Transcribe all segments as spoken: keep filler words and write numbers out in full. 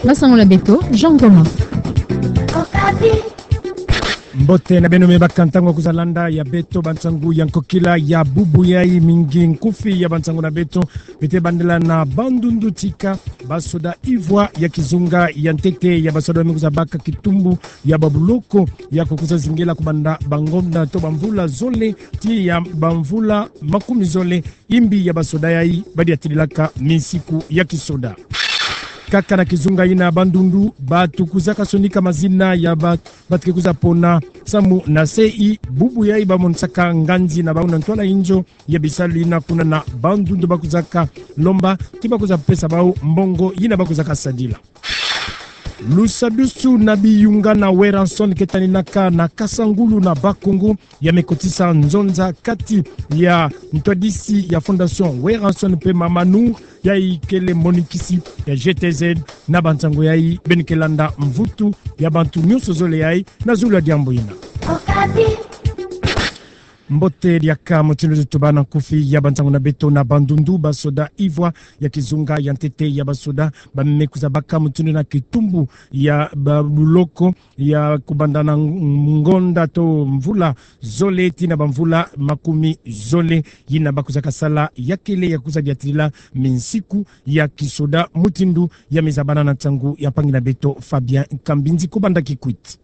Basango na beto, Jean Thomas. Mbote na beno, me baka ntangu ya kwiza landa ya beto bansangu ya nkokila ya bubu yai. Mingi nkufi ya bansangu na beto, bete bandela na Bandundu tika basoda ivwa ya kizunga ya ntete ya basoda me kwiza baka kitumbu ya babuloko ya kukwiza zingela kubanda bangonda to bamvula zole tii ya bamvula makumi zole, imbi ya basoda yai badiatililaka minsiku ya kisoda. Kaka na kizunga yina Bandundu, bato kwizaka sonika mazina ya ba-, bato ke kwiza pona samu na sei bubu yai bamonisaka nganzi na bau na ntwala inzo ya bisalu yina kuna na Bandundu bakwizaka lomba ti bakwiza pesa bau mbongo yina bakwizaka sadila. Lusadusu na biyunga na Werrason ke taninaka na Kasangulu na Bas-Congo ya me kotisa nzonza kati ya ntwadisi ya Fondation Werrason pe Mama Nour, yai kele monikisi ya G T Z, na bansangu yai beno ke landa mvutu ya bantu nyonso zole yai na zulu ya diambu yina. Mbote diaka, mutindu tutuba na nkufi ya bansangu na beto. Na Bandundu, basoda ivwa ya kizunga ya ntete ya basoda ba me kwiza baka mutindu na kitumbu ya babuloko ya kubanda na ng-, ngonda to mvula zole tii na bamvula makumi zole, yina bakwizaka sala ya kele ya kwiza diatilila minsiku ya kisoda, mutindu ya me zabana na nsangu ya mpangi na beto Fabien Kambinzi kubanda Kikwit.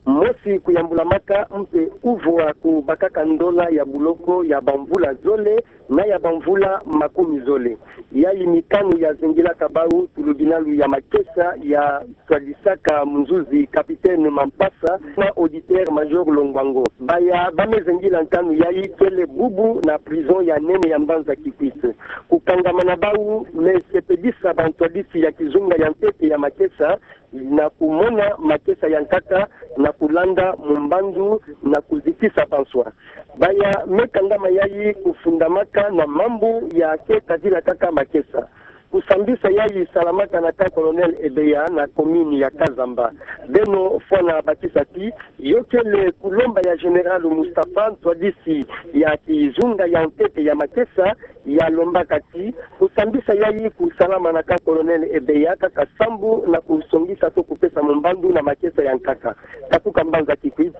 Mosi kuyambula maka mpe kuvwa kubakaka ndola ya buloko ya bamvula zole na ya bamvula makumi zole. Yai mikanu ya zengilaka bau tulu binalu ya makesa ya twadisaka munzuzi Capitaine Mampasa na Auditeur Major Longwango. Baya ba me zengila nkanu yai kele bubu na prison ya nene ya mbanza Kikwit. Kukangama na bau me sepelisa bantwadisi ya kizunga ya ntete ya makesa na kumona makesa ya nkaka na kulanda mu mbandu na kuzitisa banswa. Baya me kangama yai kufundamaka na mambu ya ke kazila kaka makesa. Kusambisa yai salamaka na camp Colonel Ebeya na commune ya Kazamba. Beno fwana bakisa ti yo kele kulomba ya Général Mustapha, ntwadisi ya kizunga ya ntete ya makesa, ya lombaka ti kusambisa yai kusalama na camp Colonel Ebeya kaka sambu na kusongisa to kupesa mu mbandu na makesa ya nkaka. Katuka mbanza Kikwit,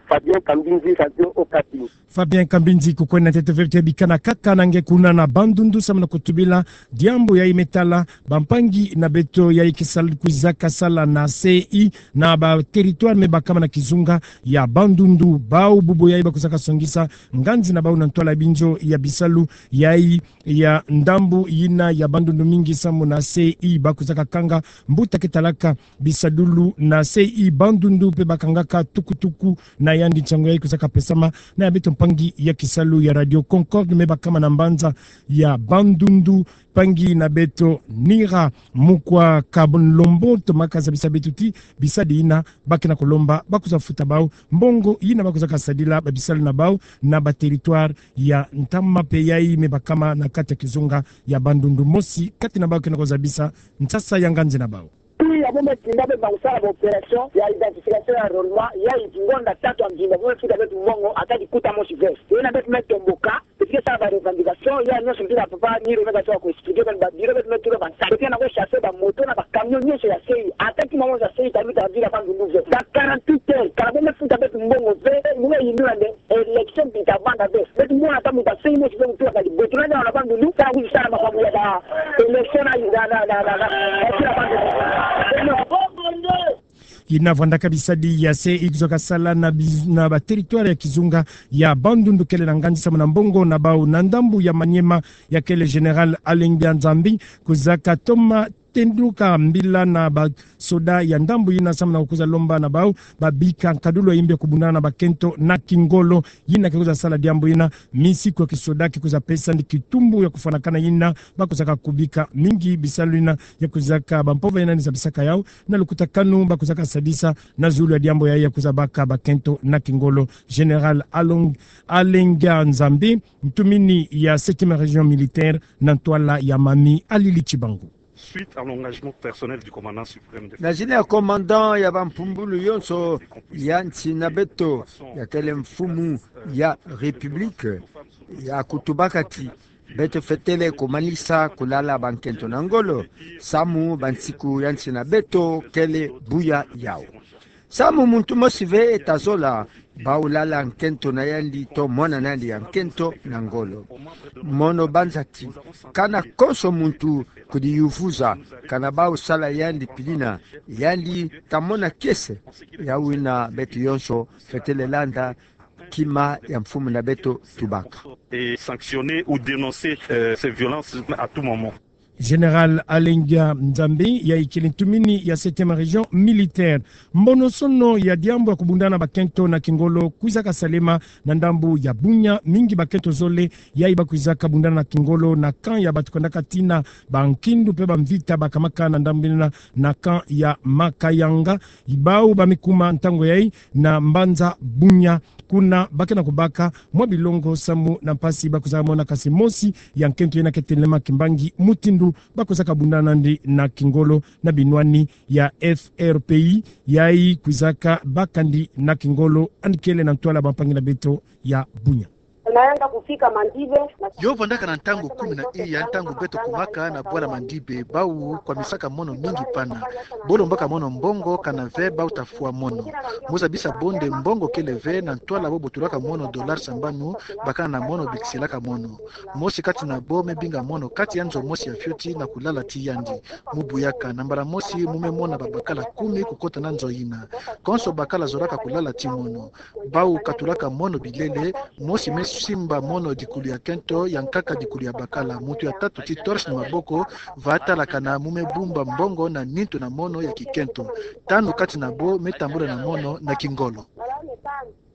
Fabien Kambinzi, Radio Okapi. Fabien Kambinzi, kukwenda ntete ve, bika na kaka na nge kuna na Bandundu samu na kutubila diambu yai me tala bampangi na beto yai ke sal-, kwizaka sala na sei na ba territoire me bakama na kizunga ya Bandundu. Bau bubu yai bakwizaka songisa nganzi na bau na ntwala binzo ya bisalu yai ya ndambu yina ya Bandundu mingi samu na sei bakwizaka kanga mbuta ke talaka bisadulu na sei Bandundu mpe bakangaka tukutuku. Na yandi nsangu yai kwizaka pesama na ya beto mpangi ya kisalu ya Radio Concorde me bakama na mbanza ya Bandundu, mpangi na beto Nira Mukwa Kabonlombo, tomaka zabisa beto ti bisadi yina ba ke na kulomba bakwiza futa bau mbongo yina bakwizaka sadila babisalu na bau na ba territoire ya ntama mpe yai me bakama na kati ya kizunga ya Bandundu. Mosi kati na bau ke na kuzabisa nsasa ya nganzi na bau. Puis ya bo me tinda beto na kusala ba opération ya identification ya enrôlement, yai ngonda tatu ya mvimba bo me futa beto mbongo ata likuta mosi ve. Yina beto me tomboka, beto ke sala ba revendication, yai nyonso mpila papa Nira me kasa ku expliquer, beto ba bureau beto me tula ba nsaki. Beto ke na ku chasser ba moto na ba camion nyonso ya sei, ata kima mosi ya sei, ta mita vila Bandundu ve. Dans quarante-huit heures, kala bo me futa beto mbongo ve, bo me yindula nde élection mbi ta banda ve. Beto mona ta muta sei mosi ve mutu ya kali. Beto na ndia na Bandundu, ta kwiza sala makambu ya ba élection na, na, na, na, na, na, na, na, na, na. Yina vwandaka bisadi ya sei kwizaka sala na biz-, na ba territoire ya kizunga ya Bandundu kele na nganzi samu na mbongo na bau. Na ndambu ya Maniema ya kele Général Alengia Nzambi kwizaka toma tenduka mbila na ba soda ya ndambu yina samu na kukwiza lomba na bau babika nkadulu ya imbi ya kubundana na bakento na kingolo. Yina ke kwiza sala diambu yina, minsiku ya kisoda ke kwiza pesa ndi kitumbu ya kufwanakana yina bakwizaka kubika. Mingi bisalu yina ya kwizaka bampova yina ni zabisaka yau na lukutakanu bakwizaka sadisa na zulu ya diambu yai ya kwiza baka bakento na kingolo. Général Along-, Alengia Nzambi, ntumini ya septième région militaire na ntwala ya Mamie Alili Tshibangu. Suite à l'engagement personnel du commandant suprême de... Na zina ya commandant ya bampumbulu yonso ya nsi na beto, ya kele mfumu ya République, ya kutubaka ti Beto fetele kumanisa kulala bankento na ngolo, samu bansiku ya nsi na beto kele buya yau. Samu muntu mosi ve tazola bau lala nkento na yandi to mwana na yandi ya nkento na ngolo. Mono banza ti, kana konso muntu kudiyuvuza, kana bau sala yandi pidina, yandi tamona kiese. Yawina beto yonso fetele landa kima ya mfumu na beto tubaka. Et sanctionner ou dénoncer, euh, ces violences à tout moment. Général Alengia Nzambi, yayi kele ntumini ya septième région militaire. Mbonosono ya diambu ya kubundana bakento na kingolo kwizaka salema na ndambu ya Bunia, mingi bakento zole yayi bakwizaka bundana na kingolo na camp ya bato kwendaka tina bankindu mpe bamvita bakamaka na ndambu yina na camp ya Makayanga. Bau bamikuma ntango yayi na mbanza Bunia. Kuna bake na kubaka mwa bilongo samu na mpasi bakwizaka mona, kasi mosi ya nkento yina ke telema kimbangi mutindu bakwizaka bundana nandi na kingolo na binwani ya F R P I, yayi kwizaka baka ndi na kingolo, yandi kele na ntwala bampangi na beto ya Bunia. Yo vandaka na ntangu kumi na iya ntangu beto kumaka na bwala Mandibe, bau kwamisaka mono mingi pana. Bo lombaka mono mbongo, kana ve bau tafwa mono. Mo zabisa bo nde mbongo kele ve, na ntwala bo botolaka mono dollar sambanu, bakana na mono bikisilaka mono. Mosi kati na bo me binga mono kati ya nzo mosi ya fioti na kulala ti yandi. Mo buyaka, na mbala mosi mo me mona babakala kumi kukota na nzo yina. Konso bakala zolaka kulala ti mono. Bau katulaka mono bilele, mosi me simba mono dikulu ya kento, ya nkaka dikulu ya bakala. Muntu ya tatu ti torche na maboko, va talakana mo me bumba mbongo na nintu na mono ya kikento. Tanu kati na bo me tambula na mono na kingolo.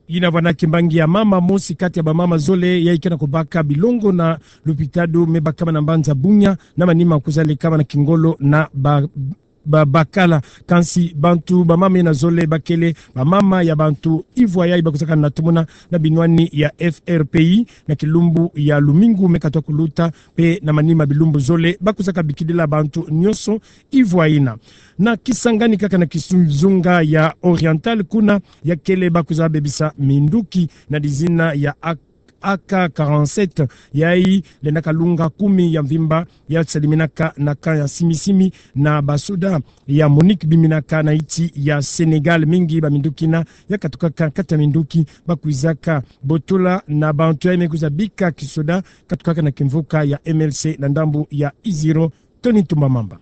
Yina vana kimbangi ya mama, mosi kati ya bamama zole yayi ke na kubaka bilongo na lupitalu me bakama na mbanza Bunia, na manima kwiza lekama na kingolo na ba babakala. Kansi bantu bamama yina zole bakele bamama ya bantu ivwa yayi bakwizaka na tumuna na binwani ya F R P I na kilumbu ya lumingu me katuka kuluta, mpe na manima bilumbu zole bakwizaka bikidila bantu nyonso ivwa yina. Na Kisangani kaka na kizunga ya Oriental, kuna ya kele bakwiza bebisa minduki na dizina ya A K quarante-sept, yayi lendaka lunga kumi ya mvimba, ya saliminaka na camp ya Simi-Simi na basoda ya MONUC biminaka na yinsi ya Sénégal. Mingi baminduki yina ya katukaka kati ya minduki bakwizaka botola na bantu yayi me kwiza bika kisoda katukaka na kimvuka ya M L C na ndambu ya Iziro. Tony Ntumba Mamba.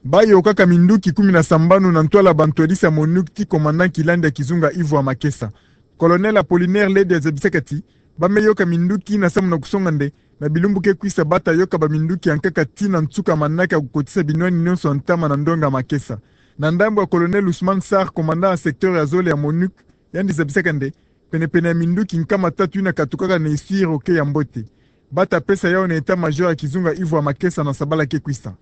Bayokaka minduki kumi na sambanu na ntwala bantwadisi ya MONUC ti commandant Kilandi ya kizunga Yvon Makesa. Colonel Apollinaire Lede azabisaka ti ba me yoka minduki yina samu na kusonga nde na bilumbu ke kwisa bata yoka baminduki ya nkaka tii na nsuka manaka ya kukotisa binwani nyonso ya ntama na ndonga Makesa. Na ndambu ya Colonel Ousmane Sarr, commandant ya secteur ya zole ya MONUC, yandi zabisaka nde penepene ya minduki nkama tatu yina katukaka na esiri oke ya mbote. Bata pesa yawu na état-major ya kizunga Yvon Makesa na sabala ke kwisa.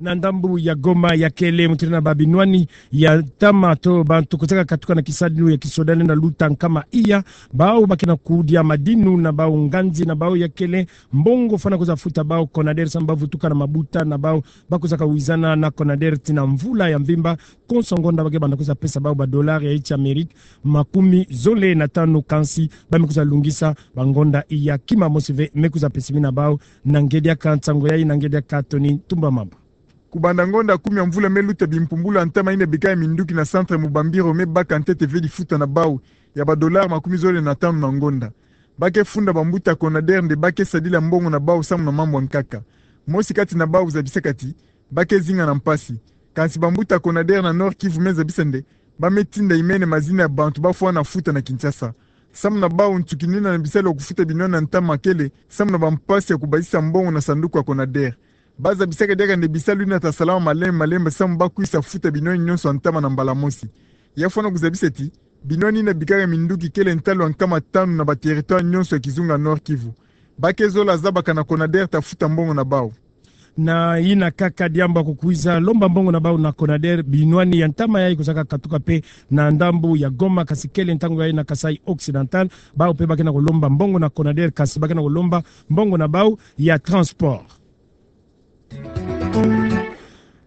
Na ndambu ya Goma ya kele mutindu na babinwani ya ntama to bantu kwizaka katuka na kisadulu ya kisoda lenda luta nkama iya, bawu bakena kudia madinu na bawu nganzi na bawu ya kele mbongo fwana kwiza futa bawu CONADER samu bavutuka na mabuta na bawu bakwizaka wizana na CONADER tii na mvula ya mvimba. Konso ngonda bake banda kwiza pesa bawu ba dollar ya yinsi Amérique makumi zole na tanu, kansi ba me kwiza lungisa bangonda iya kima mosi ve me kwiza pesemi na bawu. Na ngediaka nsango yayi, na ngediaka Tony Ntumba Mamba. Kubanda ngonda kumi ya mvula me luta, bimpumbulu ya ntama yina bika ya minduki na centre Mubambiro me baka ntete ve difuta na bawu ya ba dollar makumi zole na tanu na ngonda. Bake funda bambuta CONADER nde bake sadila mbongo na bawu samu na mambu ya nkaka. Mosi kati na bawu zabisaka ti bake zinga na mpasi. Kansi bambuta CONADER na Nord-Kivu me zabisa nde ba me tinda imene mazina ya bantu bafwana futa na Kinshasa. Samu na bawu, nsukinina na bisalu ya kufuta binwani ya ntama kele samu na bampasi ya kubazisa mbongo na sanduku ya CONADER. Ba zabisaka diaka nde bisalu yina ta salama malembe malembe samu ba kwisa futa binwani nyonso ya ntama na mbala mosi. Ya fwana kuzabisa ti binwani yina bikaka minduki kele ntalu ya nkama tanu na ba territoire nyonso ya kizunga Nord-Kivu. Bake zola zabakana CONADER ta futa mbongo na bawu. Na yina kaka diambu ya kukwiza lomba mbongo na bawu na CONADER, binwani ya ntama yayi kwizaka katuka mpe na ndambu ya Goma, kansi kele ntangu yayi na Kasaï Occidental. Bawu mpe bakena kulomba mbongo na CONADER, kansi bakena kulomba mbongo na bawu ya transport.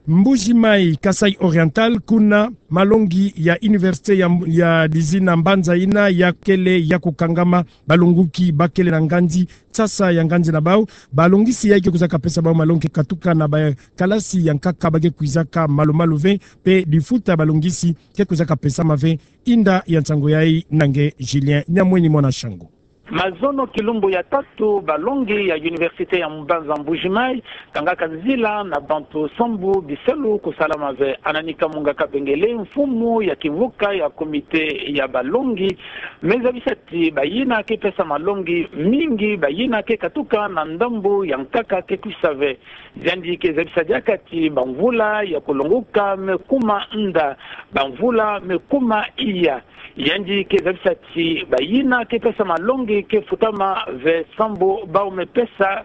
Mbuji-Mayi, Kasaï Oriental, kuna malongi ya université ya, ya dizina mbanza ina ya kele ya kukangama, balongoki ba kele na ngandi sasa ya ngandi na bau, balongisi yayi ke kwizaka pesa bau malongi katuka na bakalasi ya nkaka ba ke kwizaka malu-malu ve, mpe difuta balongisi ke kwizaka pesama ve. Inda ya nsangu yayi na nge Julien Nyamwenyi mwana Shangu. Mazono kilumbu ya tatu, balongi ya université ya mbanza Mbuji-Mayi kangaka nzila na bantu sambu bisalu kusalama ve. Anani Kamunga Kabengele, mfumu ya kimvuka ya comité ya balongi, me zabisa ti bayina ke pesa malongi mingi, bayina ke katuka na ndambu ya nkaka ke kwisa ve. Yandi ke zabisa diaka ti bamvula ya kulongoka me kuma nda, bamvula me kuma iya. Yandi ke zabisa ti bayina ke pesa malongi ke futama ve sambu bau me pesa,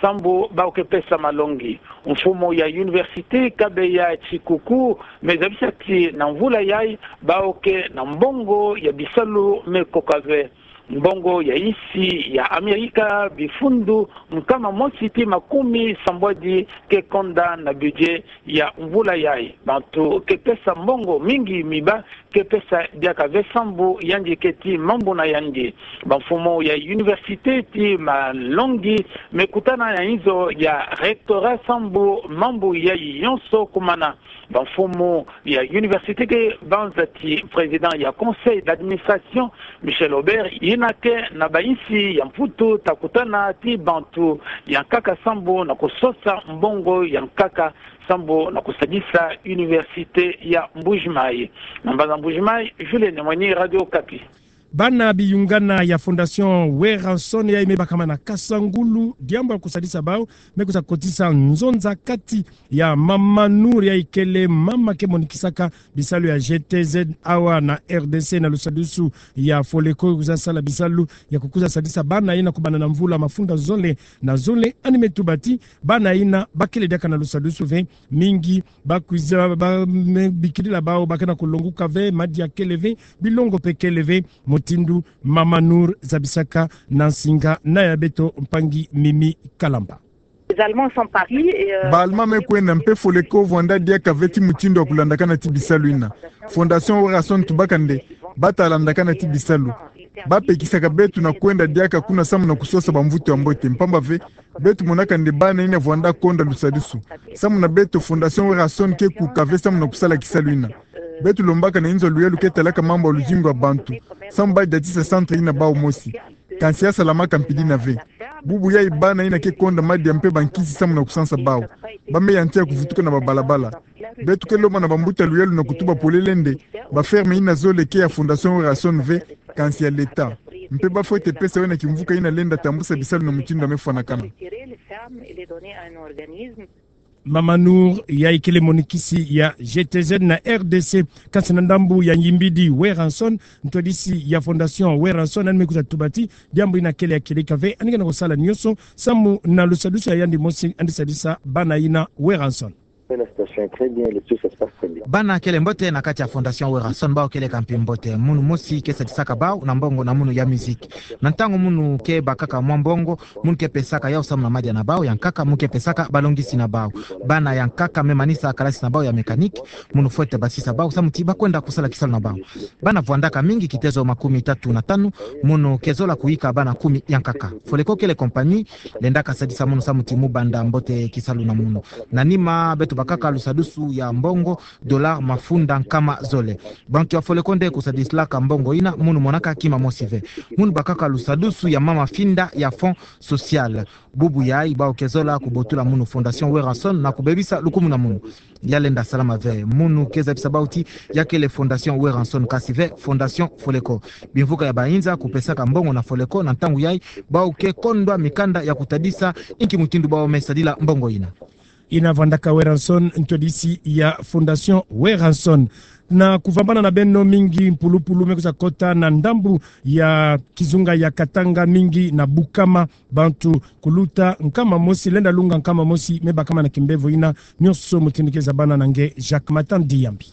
sambu bau ke pesa malongi. Mfumu ya université Kabeya Tshikuku me zabisa ti na mvula yayi bau ke na mbongo ya bisalu me koka ve. Mbongo ya insi ya Amerika, bifundu nkama mosi ti makumi sambwadi ke konda na budget ya mvula yayi. Bantu ke pesa mbongo mingi, miba ke pesa diaka ve sambu yandi ke ti mambu na yandi. Bamfumu ya université ti malongi me kutana na inzo ya rectorat sambu mambu yayi yonso kumana. Bamfumu ya université ke banza ti président ya conseil d'administration, Michel Aubert, yina ke na bayinsi ya Mputu, ta kutana ti bantu ya nkaka sambu na kusosa mbongo ya nkaka sambu na kusadisa université ya Mbuji-Mayi. Na mbanza Mbuji-Mayi, Julien Nyamwenyi, Radio Okapi. Bana biyungana ya Fondation Werrason yayi me bakama na kasa ngulu diambu ya kusadisa bau, me kwiza kotisa nzonza kati ya Mama Nour yayi kele mama ke monikisaka bisalu ya G T Z awa na R D C na lusadusu ya Foleco, kwiza sala bisalu ya kukwiza sadisa bana yina kubanda na mvula mafunda zole na zole. Ani me tuba ti bana yina ba kele diaka na lusadusu ve, mingi ba kwiza ba me bikilila bau ba ke na kulongoka ve, madia kele ve, bilongo mpe kele ve, mutindu Mama Nour zabisaka na nsinga na ya beto mpangi Mimi Kalamba. Les Allemands sont partis et, euh, Ba Allemand me kwenda mpe Foleco vwanda diaka ve ti mutindu wa kulandakana ti bisalu yina. Fondation Werrason tubaka nde ba ta landakana ti bisalu. Ba pekisaka beto na kwenda diaka kuna samu na kusosa bamvutu ya mbote, mpamba ve beto monaka nde bana yina vwanda konda lusadusu. Samu na beto, Fondation Werrason ke kuka ve samu na kusala kisalu yina. Beto lombaka na inzo ya luyalu ke talaka mambu ya luzingu ya bantu, samu ba diatisa centre yina bau mosi. Kansi ya salamaka mpidi yina ve. Bubu yayi bana yina ke konda madia mpe bankisi samu na kusansa bau. Ba me yantiya kuvutuka na babalabala. Beto ke lomba na bambuta luyalu na kutuba polele nde ba ferme yina zole ke ya Fondation Werrason ve, kansi ya l'État. Mpe ba fwete pesa wena kimvuka yina lenda tambusa bisalu na mutindu ya me fwanakana. Mama Nour yayi kele monikisi ya G T Z na R D C. Kansi na ndambu ya Ngimbidi Werrason, ntwadisi ya Fondation Werrason, ani me kwiza tuba ti diambu yina kele ya kieleka ve, ani ke na kusala nyonso samu na lusadusu ya yandi mosi, yandi sadisa bana yina Werrason. La situation est très bien, le tout, ça se passe très bien. Bana kele mbote na kati ya Fondation Werrason, bau kele kampi mbote. Munu mosi ke sadisaka bau na mbongo na munu ya musique. Na ntangu munu ke bakaka mwa mbongo, munu ke pesaka yau samu na madia na bau ya nkaka, munu ke pesaka balongisi na bau. Bana ya nkaka me manisa kalasi na bau ya mécanique, munu fwete basisa bau samu ti ba kwenda kusala kisalu na bau. Bana vwandaka mingi, kitezo makumi tatu na tanu, munu ke zola kuyika bana kumi ya nkaka. Foleco kele compagnie lendaka sadisa munu samu ti mu banda mbote kisalu na munu. Na nima beto bakaka lusadusu ya mbongo, dollar mafunda nkama zole. Bantu ya Foleco nde kusadisilaka mbongo yina, munu monaka kima mosi ve. Munu bakaka lusadusu ya mama finda ya fonds social. Bubu yayi bau ke zola kubotula munu Fondation Werrason na kubebisa lukumu na munu. Ya lenda salama ve. Munu ke zabisa bau ti ya kele Fondation Werrason, kansi ve Fondation Foleco. Bimvuka ya bayinza kupesaka mbongo na Foleco, na ntangu yayi bau ke kondwa mikanda ya kutadisa inki mutindu bau me sadila mbongo yina. Yina vwandaka Werrason, ntwadisi ya Fondation Werrason. Na kuvambana na beno, mingi mpulupulu me kwiza kota na ndambu ya kizunga ya Katanga, mingi na Bukama, bantu kuluta nkama mosi, lenda lunga nkama mosi me bakama na kimbevo yina. Nyonso mutindu ke zabana na nge Jacques Matandi Yambi.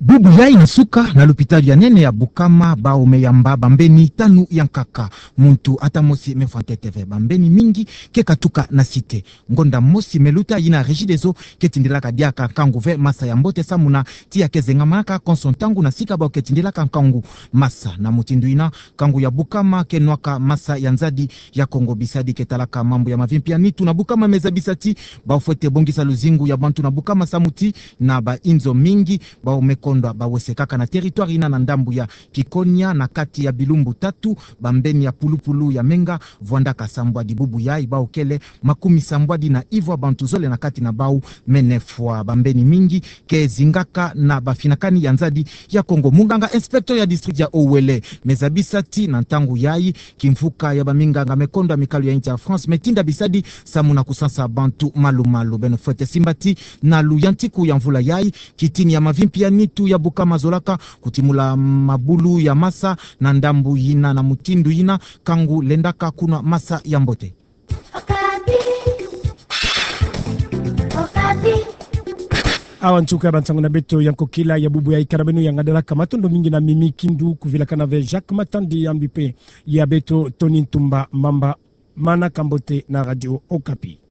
Bubu yayi na suka, na lupitalu ya nene ya Bukama, bau meyamba bambeni tanu ya nkaka. Muntu ata mosi mefwa ntete ve, bambeni mingi ke katuka na site. Ngonda mosi meluta yina Regideso ke tindilaka diaka nkangu ve masa ya mbote samu na tiya ke zengamanaka konso ntangu na sika bau ke tindilaka nkangu masa. Na mutindu yina, nkangu ya Bukama ke nwaka masa ya nzadi ya Kongo. Bisadi ke talaka mambu ya mavimpi ya nitu na Bukama mezabisa ti bau fwete bongisa luzingu ya bantu na Bukama samu ti na bainzo mingi bau mekondwa bawese kaka na territoire yina na ndambu ya Kikonia, na kati ya bilumbu tatu, bambeni ya pulupulu ya menga vwandaka sambwadi. Bubu yayi bau kele makumi sambwadi na ivwa bantu zole na kati na bau mene fwa. Bambeni mingi ke zingaka na bafinakani ya nzadi ya Kongo. Munganga inspecteur ya district ya Uele mezabisa ti na ntangu yayi kimvuka ya baminganga mekondwa mikalu ya inti ya France metinda bisadi samu na kusansa bantu malu-malu. Beno fwete simba ti na luyantiku ya mvula yayi, kitini ya mavimpi ya nitu ya Bukama zolaka kutimula mabulu ya masa na ndambu yina. Na mutindu yina, nkangu lendaka kunwa masa ya mbote. Awa nsuka ya bansangu na beto ya nkokila ya bubu yayi. Kala beno ya ngadalaka, matondo mingi na Mimi Kindu, kuvilakana ve Jacques Matandi ya mbi mpe ya beto Tony Ntumba Mamba. Mana kambote na Radio Okapi.